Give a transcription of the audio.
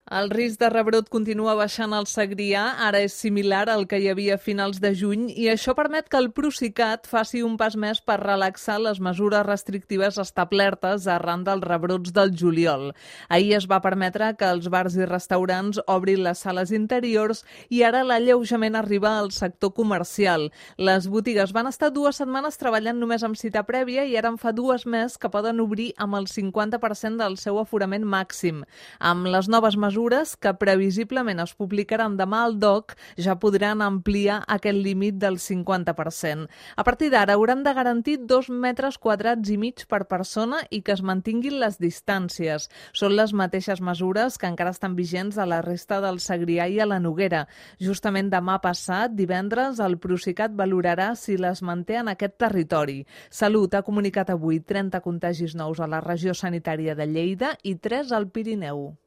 El risc de rebrot continua baixant al Segrià, ara és similar al que hi havia a finals de juny i això permet que el Procicat faci un pas més per relaxar les mesures restrictives establertes arran dels rebrots del juliol. Ahir es va permetre que els bars i restaurants obrin les sales interiors i ara l'alleujament arriba al sector comercial. Les botigues van estar 2 setmanes treballant només amb cita prèvia i ara en fa 2 més que poden obrir amb el 50% del seu aforament màxim. Amb les noves mesures que previsiblement es publicaran demà al DOC, ja podran ampliar aquest límit del 50%. A partir d'ara hauran de garantir 2,2 metres per persona i que es mantinguin les distàncies. Són les mateixes mesures que encara estan vigents a la resta del Segrià i a la Noguera. Justament demà passat, divendres, el Procicat valorarà si les manté en aquest territori. Salut ha comunicat avui 30 contagis nous a la regió sanitària de Lleida i 3 al Pirineu.